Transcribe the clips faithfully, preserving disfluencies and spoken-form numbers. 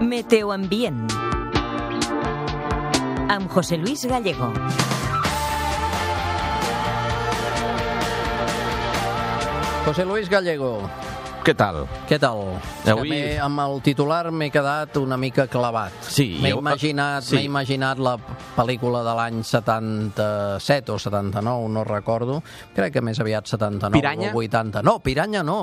Meteoambient amb José Luis Gallego. José Luis Gallego. Què tal? Què tal? Avui... Que amb el titular m'he quedat una mica clavat. Sí. M'he jo... imaginat, sí. m'he imaginat la pel·lícula de l'any setanta-set o setanta-nou, no recordo. Crec que més aviat setanta-nou Piranya? o vuitanta. No, Piranya no.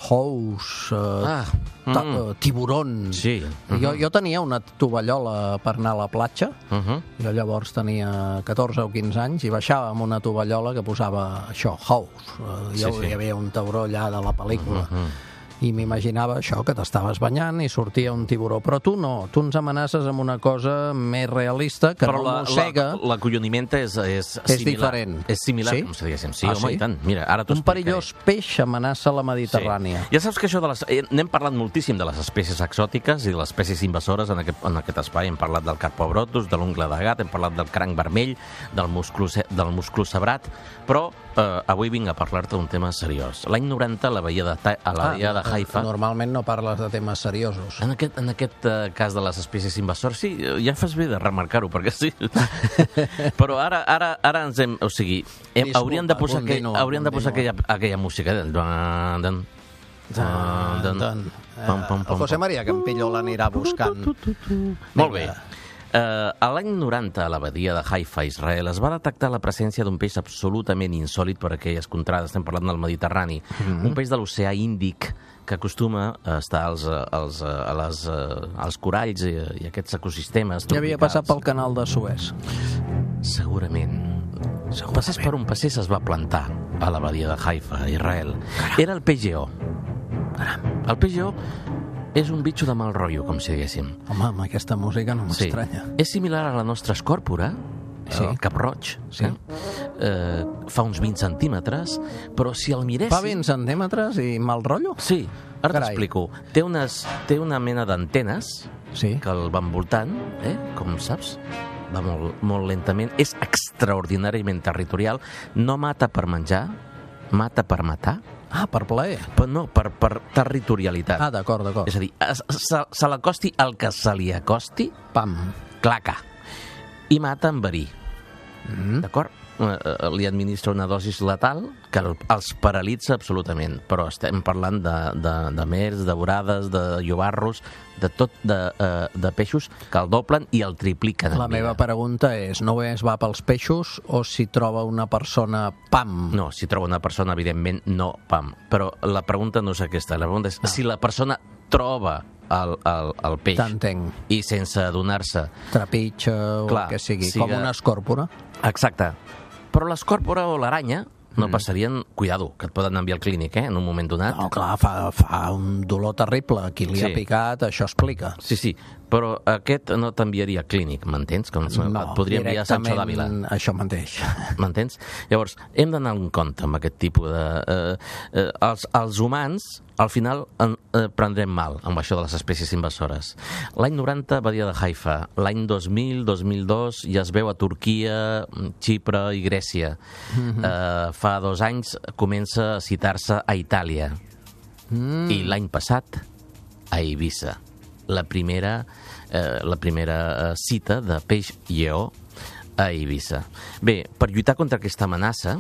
House, uh, Ah, ta- mm. uh, tiburon. Sí. Uh-huh. jo, jo tenia una tovallola per anar a la platja. Uh -huh. Jo llavors tenia catorze o quinze anys i baixava amb una tovallola que posava això, House. Uh, Sí, jo, sí. Hi havia un tauró allà de la pel·lícula. Uh -huh. I m'imaginava això, que t'estaves banyant i sortia un tiburó. Però tu no, tu ens amenaces amb una cosa més realista que Però no la, mossega. la, l'acolloniment és, és, És similar. diferent. És similar, Sí? com si diguéssim. Sí, Ah, home, sí? i tant. Mira, ara t'ho Un explicaré. perillós peix amenaça la Mediterrània. Sí. Ja saps que això de les... eh, N'hem parlat moltíssim de les espècies exòtiques i de les espècies invasores en aquest, en aquest espai. Hem parlat del carpobrotus, de l'ungla de gat, hem parlat del cranc vermell, del musclo, del musclo sabrat, però eh, avui vinc a parlar-te d'un tema seriós. L'any noranta, a la bahia de, Ta- a la bahia de Haifa... Normalment no parles de temes seriosos. En aquest, en aquest uh, cas de les espècies invasores, sí, ja fas bé de remarcar-ho, perquè sí. Però ara, ara, ara ens hem... O sigui, hem, Disculpa, haurien de posar, aquell, continua, haurien de posar aquella, continua. aquella música del... Dan, dan, dan, dan, Doncs, pam, pam, eh, pam, el José pam. María Campillo l'anirà buscant. Molt bé. Uh, a l'any noranta, a la badia de Haifa, a Israel, es va detectar la presència d'un peix absolutament insòlit per aquelles contrades. Estem parlant del Mediterrani. Mm-hmm. Un peix de l'oceà Índic que acostuma a estar als, als, a les, als coralls i, i aquests ecosistemes. Ja havia passat pel canal de Suez. Segurament. Passés per on passés es va plantar a la badia de Haifa, a Israel. Caram. Era el peix lleó. El peix lleó és un bitxo de mal rotllo, com si diguéssim. Home, amb aquesta música no m'estranya. Sí. És similar a la nostra escòrpora, Sí. el cap-roig. Sí. Eh? Eh, fa uns vint centímetres, però si el miréssim... Fa vint centímetres i mal rotllo? Sí, ara Carai. t'explico. Té, unes, té una mena d'antenes Sí. que el van voltant, eh? Com saps? Va molt, molt lentament. És extraordinàriament territorial. No mata per menjar, mata per matar, Ah, per plaer. però no, per, per territorialitat. Ah, d'acord, d'acord. És a dir, es, se, se l'acosti el que se li acosti, Pam. claca, i mata amb verí. Mm. D'acord? Eh, eh, li administra una dosis letal que el, els paralitza absolutament, però estem parlant de, de, de mers, de vorades, de llobarros, de tot, de, eh, de peixos que el doblen i el tripliquen. en La vida. meva pregunta és, no es va pels peixos o si troba una persona, pam? No, si troba una persona, evidentment, no, pam. Però la pregunta no és aquesta, la pregunta és Ah. si la persona troba el, el, el peix T'entenc. i sense adonar-se. Trepitja o Clar, el que sigui, siga- com una escòrpora. Exacte. Però l'escòrpora o l'aranya no Mm. passarien... Cuidado, que et poden enviar al clínic, eh, en un moment donat. No, clar, fa, fa un dolor terrible. Qui li Sí. ha picat, això explica. Sí, sí, però aquest no t'enviaria al clínic, m'entens? Com et podria enviar a Sancho d'Àvila. Això mateix. M'entens? Llavors, hem d'anar en compte amb aquest tipus de... Eh, eh, els, els humans, al final, en, eh, prendrem mal amb això de les espècies invasores. L'any noranta, badia de Haifa. L'any dos mil, dos mil dos, ja es veu a Turquia, Xipre i Grècia. Mm-hmm. eh, fa dos anys comença a citar-se a Itàlia. Mm. I l'any passat, a Eivissa. La primera, eh, la primera eh, cita de peix lleó a Eivissa. Bé, per lluitar contra aquesta amenaça,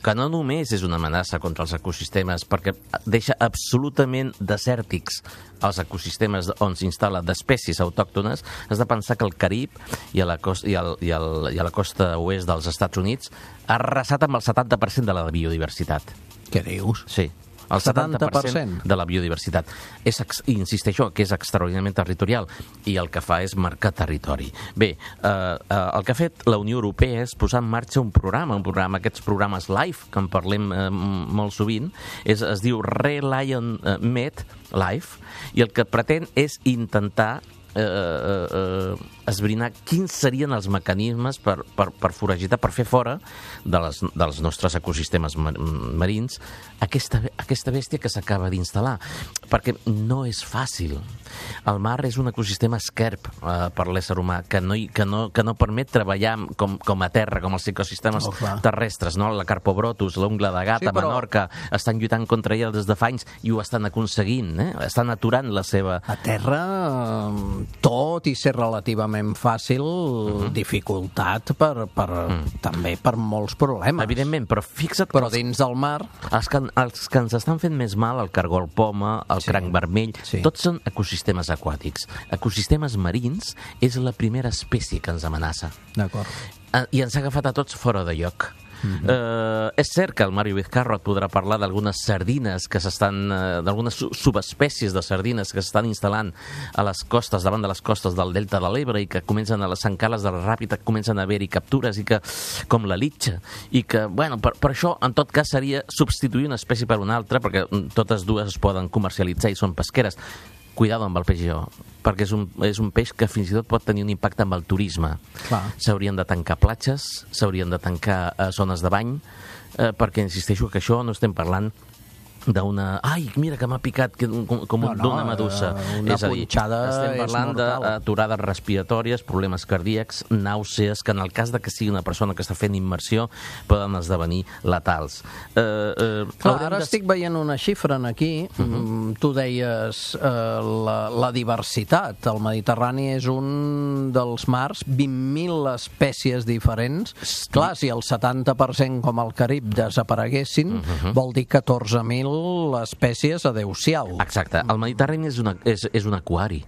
que no només és una amenaça contra els ecosistemes, perquè deixa absolutament desèrtics els ecosistemes on s'instal·la d'espècies autòctones, has de pensar que el Carib i a la costa, i el, i el, i a la costa oest dels Estats Units ha arrasat amb el setanta per cent de la biodiversitat. Què dius? Sí. El setanta per cent de la biodiversitat. És, insisteixo, que és extraordinàriament territorial i el que fa és marcar territori. Bé, eh, eh, el que ha fet la Unió Europea és posar en marxa un programa, un programa, aquests programes LIFE, que en parlem eh, molt sovint, és, es diu Relion eh, Med LIFE, i el que pretén és intentar Eh, eh, eh, esbrinar quins serien els mecanismes per, per, per foragitar, per fer fora de les, dels nostres ecosistemes mar marins aquesta, aquesta bèstia que s'acaba d'instal·lar, perquè no és fàcil. El mar és un ecosistema esquerp eh, per l'ésser humà, que no, que no, que no permet treballar com, com a terra, com els ecosistemes oh, terrestres, no? La Carpobrotus, l'ungla de gat, sí, però... a Menorca, estan lluitant contra ella des de fa anys i ho estan aconseguint, eh? Estan aturant la seva... A terra, tot i ser relativament fàcil, uh-huh. dificultat per, per, uh-huh. també per molts problemes. Evidentment, però fixa't... Però dins del mar... Els que, els que ens estan fent més mal, el cargol poma, el sí. cranc vermell, sí. tots són ecosistemes aquàtics. Ecosistemes marins és la primera espècie que ens amenaça. D'acord. I ens ha agafat a tots fora de lloc. Uh-huh. Uh, és cert que el Mario Vizcarro et podrà parlar d'algunes sardines que s'estan, uh, d'algunes subespècies de sardines que s'estan instal·lant a les costes, davant de les costes del Delta de l'Ebre i que comencen a les encales de la Ràpita, comencen a haver-hi captures i que, com la litxa, i que, bueno, per, per això en tot cas seria substituir una espècie per una altra, perquè totes dues es poden comercialitzar i són pesqueres. Cuidado amb el peix lleó, perquè és un, és un peix que fins i tot pot tenir un impacte amb el turisme. S'haurien de tancar platges, s'haurien de tancar eh, zones de bany, eh, perquè insisteixo que això no estem parlant d'una... Ai, mira que m'ha picat com, com no, no, d'una medusa. Una és a dir, punxada estem parlant d'aturades respiratòries, problemes cardíacs, nàusees, que en el cas de que sigui una persona que està fent immersió poden esdevenir letals. Eh, eh, Clar, ara de... estic veient una xifra aquí. Uh-huh. Tu deies eh, la, la diversitat. El Mediterrani és un dels mars, vint mil espècies diferents. Sí. Clar, si el setanta per cent com el Carib desapareguessin, uh-huh. vol dir catorze mil espècies adeu-siau. Exacte. El Mediterrani és, una, és, és un aquari.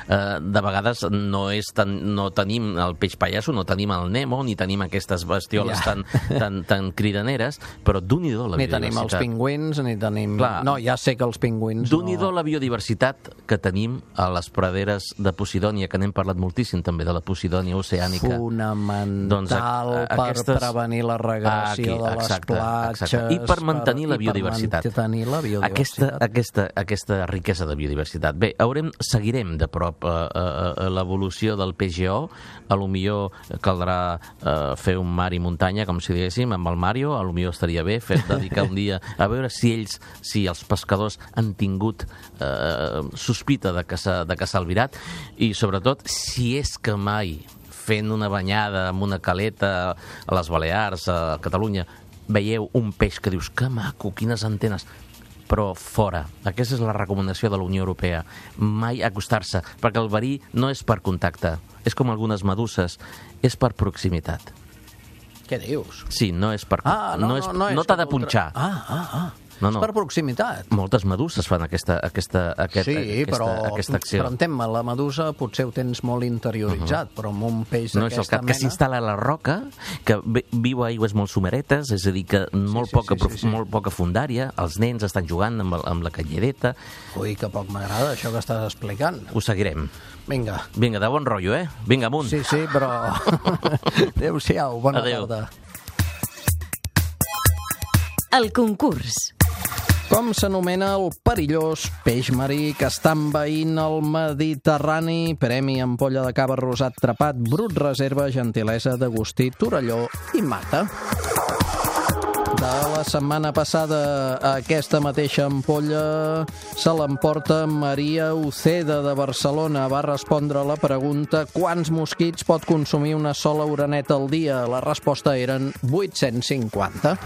Uh, de vegades no, és tan, no tenim el peix pallasso, no tenim el Nemo, ni tenim aquestes bestioles ja. tan, tan, tan cridaneres, però d'un-i-do la ni biodiversitat. Ni tenim els pingüins, ni tenim... Clar, no, ja sé que els pingüins... D'un-i-do no... la biodiversitat que tenim a les praderes de Posidònia, que n'hem parlat moltíssim també de la Posidònia oceànica. Fonamental doncs, a, a, per aquestes... prevenir la regressió de les exacte, platges... Exacte. I per mantenir per, la biodiversitat. Per mantenir la biodiversitat. Aquesta, aquesta, aquesta riquesa de biodiversitat. Bé, haurem, seguirem de prop A, a, a l'evolució del peix lleó. A lo millor caldrà uh, fer un mar i muntanya, com si diguéssim, amb el Mario. A lo millor estaria bé fer dedicar un dia a veure si ells, si els pescadors han tingut uh, sospita de que s'ha albirat, i sobretot si és que mai fent una banyada amb una caleta a les Balears, a Catalunya, veieu un peix que dius que maco, quines antenes, però fora. Aquesta és la recomanació de la Unió Europea. Mai acostar-se, perquè el verí no és per contacte, és com algunes meduses, és per proximitat. Què dius? Sí, no és per... Ah, no, no, és, no, no t'ha de punxar. Ah, ah, ah. No, no. És per proximitat. Moltes meduses fan aquesta, aquesta, aquest, sí, aquesta, però, aquesta acció. Però entén-me, la medusa potser ho tens molt interioritzat, uh-huh. però amb un peix no d'aquesta és el cap, mena... que s'instal·la a la roca, que viu a aigües molt someretes, és a dir, que molt, sí, sí, poca, sí, sí, sí. molt poca fundària, els nens estan jugant amb, amb la callereta... Ui, que poc m'agrada això que estàs explicant. Ho seguirem. Vinga. Vinga, de bon rotllo, eh? Vinga, amunt. Sí, sí, però... Adéu-siau, bona Adéu. tarda. El concurs. Com s'anomena el perillós peix marí que està envaint el Mediterrani? Premi ampolla de cava rosat trepat, brut reserva, gentilesa d'Agustí Torelló i Mata. De la setmana passada, aquesta mateixa ampolla se l'emporta Maria Uceda de Barcelona. Va respondre a la pregunta: quants mosquits pot consumir una sola oreneta al dia? La resposta eren vuit-cents cinquanta.